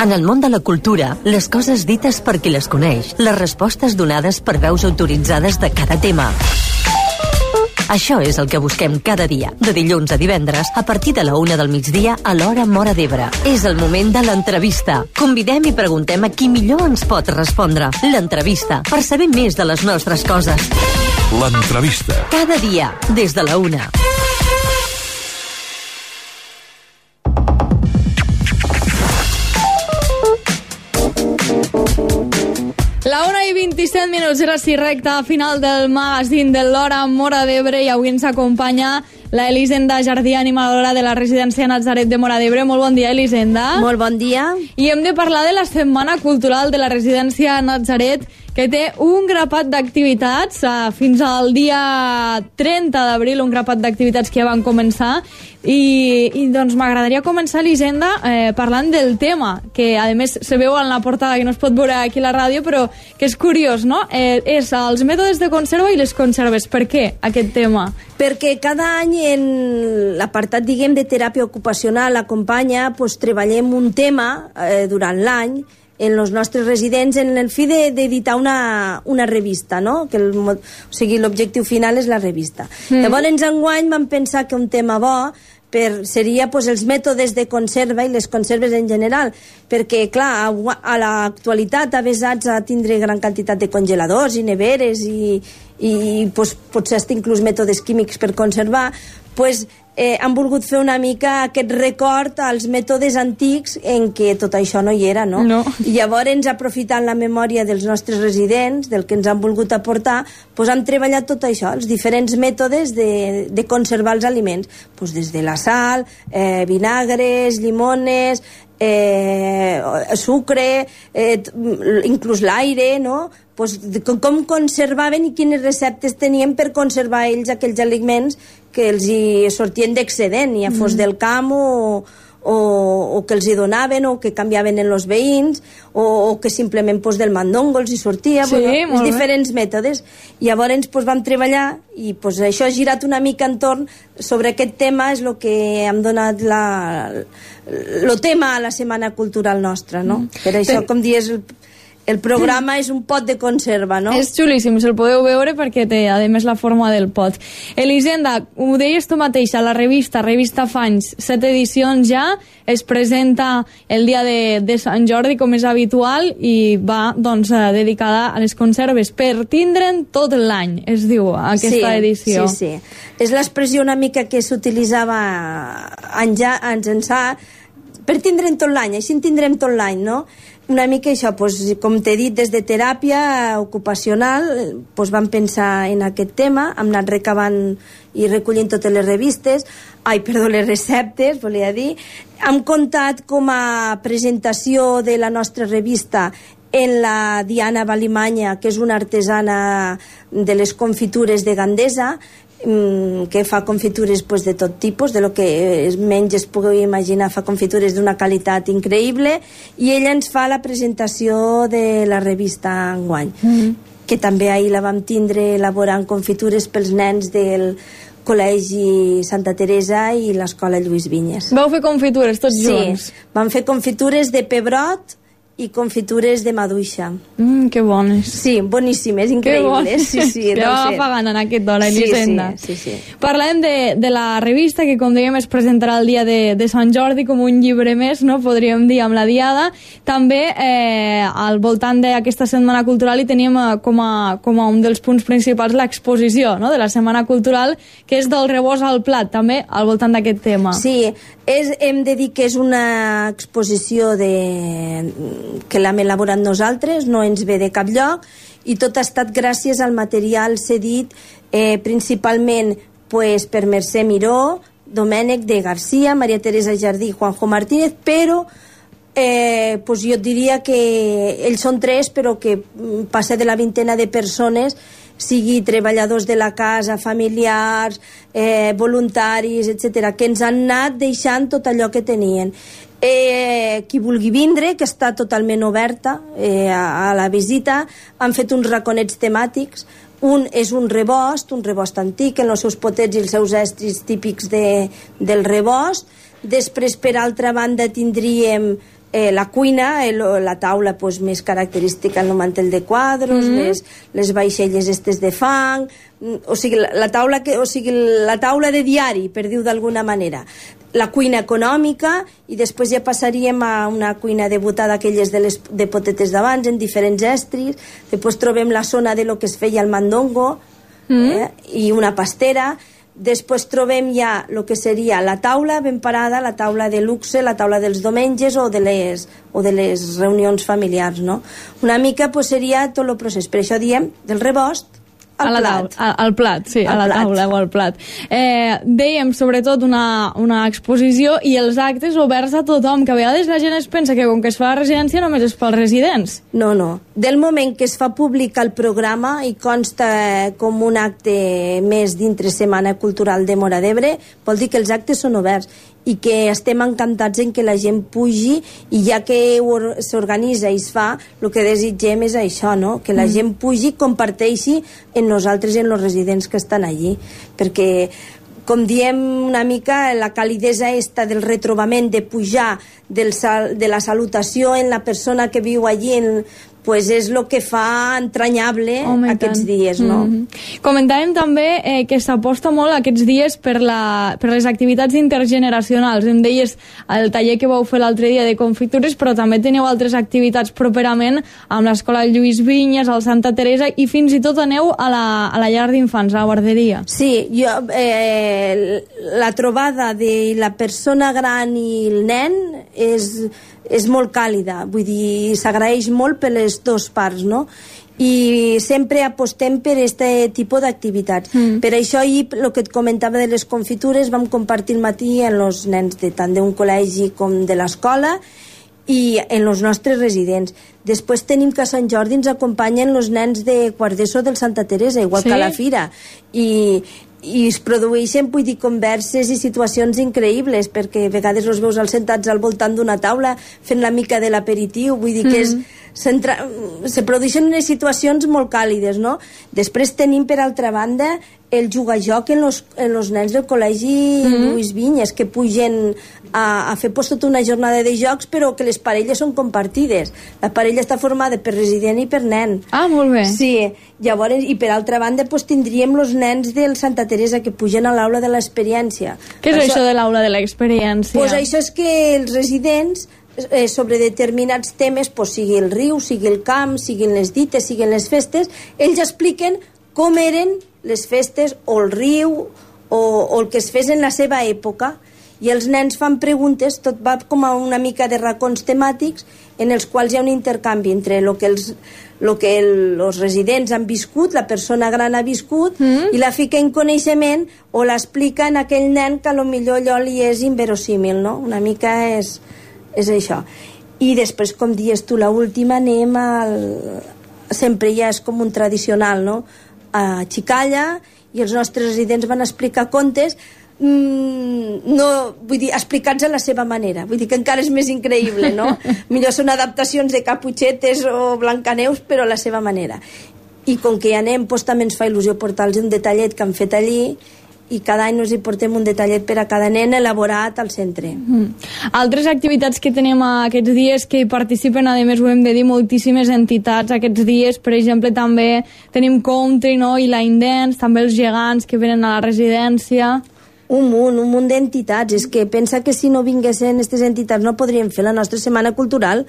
En el món de la cultura, les coses dites per qui les coneix, les respostes donades per veus autoritzades de cada tema. Això és el que busquem cada dia, de dilluns a divendres, a partir de la 1 del migdia a l'hora Móra d'Ebre. És el moment de l'entrevista. Convidem i preguntem a qui millor ens pot respondre. L'entrevista, per saber més de les nostres coses. L'entrevista. Cada dia, des de la 1. La 1:27, era així recta final del magazín de l'Hora Móra d'Ebre, i avui ens acompanya la Elisenda Jardí, animadora de la residència Natzaret de Móra d'Ebre. Molt bon dia, Elisenda. Molt bon dia. I hem de parlar de la Setmana Cultural de la residència Natzaret, que té un grapat d'activitats fins al dia 30 d'abril, un grapat d'activitats que ja van començar. I doncs m'agradaria començar, Elisenda, parlant del tema, que a més se veu en la portada, que no es pot veure aquí a la ràdio, però que és curiós, no? És els mètodes de conserva i les conserves. Per què aquest tema? Perquè cada any en l'apartat, diguem, de teràpia ocupacional acompanya, doncs treballem un tema durant l'any en els nostres residents en el fi d'editar una revista, no? O sigui, l'objectiu final és la revista. Llavors, enguany vam pensar que un tema bo seria els mètodes de conserva i les conserves en general, perquè, clar, a l'actualitat avesats a tindre gran quantitat de congeladors i neveres i potser hasta inclús mètodes químics per conservar, han volgut fer una mica aquest record als mètodes antics en què tot això no hi era, no? I llavors, aprofitant la memòria dels nostres residents, del que ens han volgut aportar, han treballat tot això, els diferents mètodes de conservar els aliments, des de la sal, vinagres, llimones, sucre, inclús l'aire, no? Com conservaven i quines receptes tenien per conservar ells aquells aliments que els hi sortien d'excedent, ja fos del camp o que els hi donaven o que canviaven en els veïns o que simplement del mandongo els hi sortia, els diferents mètodes. I llavors vam treballar i això ha girat una mica entorn sobre aquest tema, és el que hem donat el tema a la Setmana Cultural nostra, no? Per això, com dius, el programa és un pot de conserva, no? És xulíssim, se'l podeu veure perquè té, a més, la forma del pot. Elisenda, ho deies tu mateixa, la revista Fanys, 7 edicions ja, es presenta el dia de Sant Jordi, com és habitual, i va, dedicada a les conserves per tindre'n tot l'any, es diu, aquesta edició. Sí. És l'expressió una mica que s'utilitzava anys ençà, per tindre'n tot l'any, així en tindrem tot l'any, no? Una mica això, com t'he dit, des de teràpia ocupacional vam pensar en aquest tema, hem anat recabant i recollint totes les les receptes, volia dir. Hem comptat com a presentació de la nostra revista en la Diana Valimanya, que és una artesana de les confitures de Gandesa, que fa confitures de tot tipus, de lo que menys es pugui imaginar, fa confitures d'una qualitat increïble, i ella ens fa la presentació de la revista enguany, que també ahir la vam tindre elaborant confitures pels nens del Col·legi Santa Teresa i l'Escola Lluís Vinyes. Vau fer confitures tots junts? Sí, vam fer confitures de pebrot i confitures de maduixa. Que bones. Sí, boníssimes, increïbles. Sí, ja va pagant en aquest hora, Elisenda. Sí. Parlem de la revista, que com dèiem es presentarà el dia de Sant Jordi com un llibre més, no? Podríem dir, amb la diada. També al voltant d'aquesta Setmana Cultural hi teníem com a un dels punts principals l'exposició, no?, de la Setmana Cultural, que és del rebost al plat, també al voltant d'aquest tema. Sí, hem de dir que és una exposició que l'hem elaborat nosaltres, no ens ve de cap lloc, i tot ha estat gràcies al material cedit principalment per Mercè Miró, Domènec de Garcia, Maria Teresa Jardí i Juanjo Martínez, però jo et diria que ells són 3, però que passa de la vintena de persones, sigui treballadors de la casa, familiars, voluntaris, etc., que ens han anat deixant tot allò que tenien. Qui vulgui vindre, que està totalment oberta a la visita. Han fet uns raconets temàtics. Un és un rebost antic, amb els seus potets i els seus estris típics del rebost. Després, per altra banda, tindríem la cuina, la taula pues, més característica, el mantell de quadros, les vaixelles estes de fang, o sigui, la taula de diari, per dir-ho d'alguna manera. La cuina econòmica, i després ja passaríem a una cuina debutada, aquelles de potetes d'abans, en diferents estris. Després trobem la zona de lo que es feia el mandongo, i una pastera. Després trobem ja el que seria la taula ben parada, la taula de luxe, la taula dels diumenges o de les reunions familiars, no? Una mica pues, seria tot el procés. Per això diem del rebost al plat. Al plat, sí, a la taula o al plat. Dèiem, sobretot, una exposició i els actes oberts a tothom, que a vegades la gent es pensa que com que es fa a la residència només és pels residents. No. Del moment que es fa públic el programa i consta com un acte més dintre Setmana Cultural de Móra d'Ebre, vol dir que els actes són oberts i que estem encantats en que la gent pugi, i ja que s'organitza i es fa, el que desitgem és això, no? Que la gent pugi, comparteixi en nosaltres i en els residents que estan allí, perquè com diem una mica, la calidesa esta del retrobament, de pujar, de la salutació en la persona que viu allí, pues és el que fa entranyable aquests dies, no? Comentàvem també que s'aposta molt aquests dies per les activitats intergeneracionals. Em deies el taller que vau fer l'altre dia de confitures, però també teniu altres activitats properament amb l'Escola Lluís Vinyes, al Santa Teresa, i fins i tot aneu a la llar d'infants, a la guarderia. Sí, la trobada de la persona gran i el nen és molt càlida, vull dir, s'agraeix molt per les dues parts, no? I sempre apostem per aquest tipus d'activitats. Per això ahir, el que et comentava de les confitures, vam compartir el matí amb els nens tant d'un col·legi com de l'escola i en els nostres residents. Després tenim que a Sant Jordi ens acompanyen els nens de quart d'ESO del Santa Teresa, igual que a la fira, i es produeixen, vull dir, converses i situacions increïbles, perquè a vegades els veus sentats al voltant d'una taula fent la mica de l'aperitiu, vull dir que se produeixen unes situacions molt càlides, no? Després tenim, per altra banda, el jugar-joc en els nens del col·legi Lluís Vinyes, que pugen a fer tota una jornada de jocs, però que les parelles són compartides. La parella està formada per resident i per nen. Ah, molt bé. Sí, llavors, i per altra banda tindríem els nens del Santa Teresa que pugen a l'aula de l'experiència. Què és això de l'aula de l'experiència? Pues això és que els residents sobre determinats temes, sigui el riu, sigui el camp, siguin les dites, siguin les festes, ells expliquen com eren les festes o el riu o el que es fes en la seva època, i els nens fan preguntes, tot va com a una mica de racons temàtics en els quals hi ha un intercanvi entre el que els residents han viscut, la persona gran ha viscut, i la fica en coneixement o l'explica en aquell nen que potser allò li és inverosímil, no? Una mica és això. I després, com dius tu, l'última anem sempre ja és com un tradicional, no? A Xicalla, i els nostres residents van explicar contes, no, vull dir, explicats a la seva manera, vull dir que encara és més increïble, no? Millor són adaptacions de Caputxetes o Blancaneus, però a la seva manera. I com que hi anem, també ens fa il·lusió portar-los un detallet que han fet allí, i cada any ens hi portem un detallet per a cada nen elaborat al centre. Altres activitats que tenim aquests dies que hi participen, a més ho hem de dir, moltíssimes entitats aquests dies, per exemple també tenim Country, no? I Line Dance, també els gegants que venen a la residència. Un munt d'entitats. És que pensa que si no vinguessin aquestes entitats no podríem fer la nostra setmana cultural.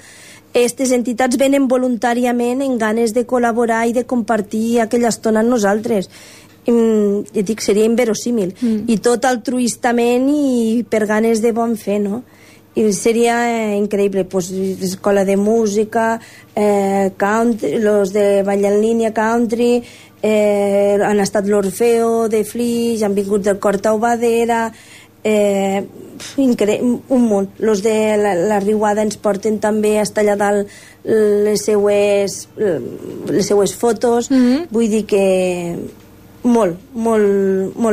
Aquestes entitats venen voluntàriament en ganes de col·laborar i de compartir aquella estona amb nosaltres. Ja dic, seria inverosímil, i tot altruistament i per ganes de bon fer, no? I seria increïble, escola de música, country, los de ball en línia, country, han estat l'Orfeo de Flix, han vingut del Cor Taubadera, un munt. Los de la Riuada ens porten també a estar allà dalt les seues fotos, vull dir que molt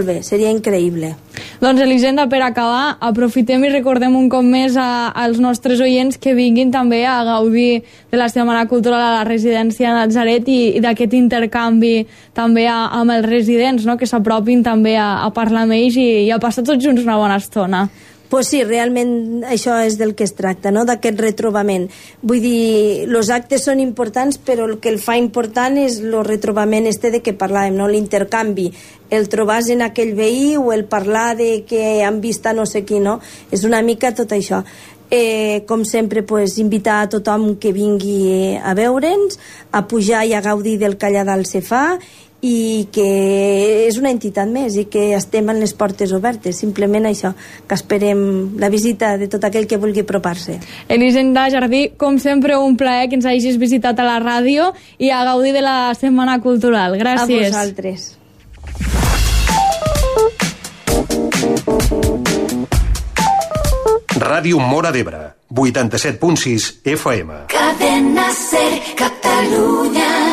bé, seria increïble. Doncs Elisenda, per acabar, aprofitem i recordem un cop més als nostres oients que vinguin també a gaudir de la Setmana Cultural a la residència Natzaret i d'aquest intercanvi també amb els residents, no? Que s'apropin també a parlar amb ells i a passar tots junts una bona estona. Pues sí, realment això és del que es tracta, no? D'aquest retrobament. Vull dir, els actes són importants, però el que el fa important és el retrobament de què parlàvem, no? L'intercanvi, el trobar en aquell veí o el parlar de que han vist a no sé qui, no? És una mica tot això. Com sempre, pues, invitar a tothom que vingui a veure'ns, a pujar i a gaudir del que allà dalt se fa, i que és una entitat més i que estem amb les portes obertes, simplement això, que esperem la visita de tot aquell que vulgui apropar-se. Elisenda Jardí, com sempre un plaer que ens hagis visitat a la ràdio i a gaudir de la Setmana Cultural. Gràcies. A vosaltres. Ràdio Móra d'Ebre, 87.6 FM. Cadena Ser, Catalunya.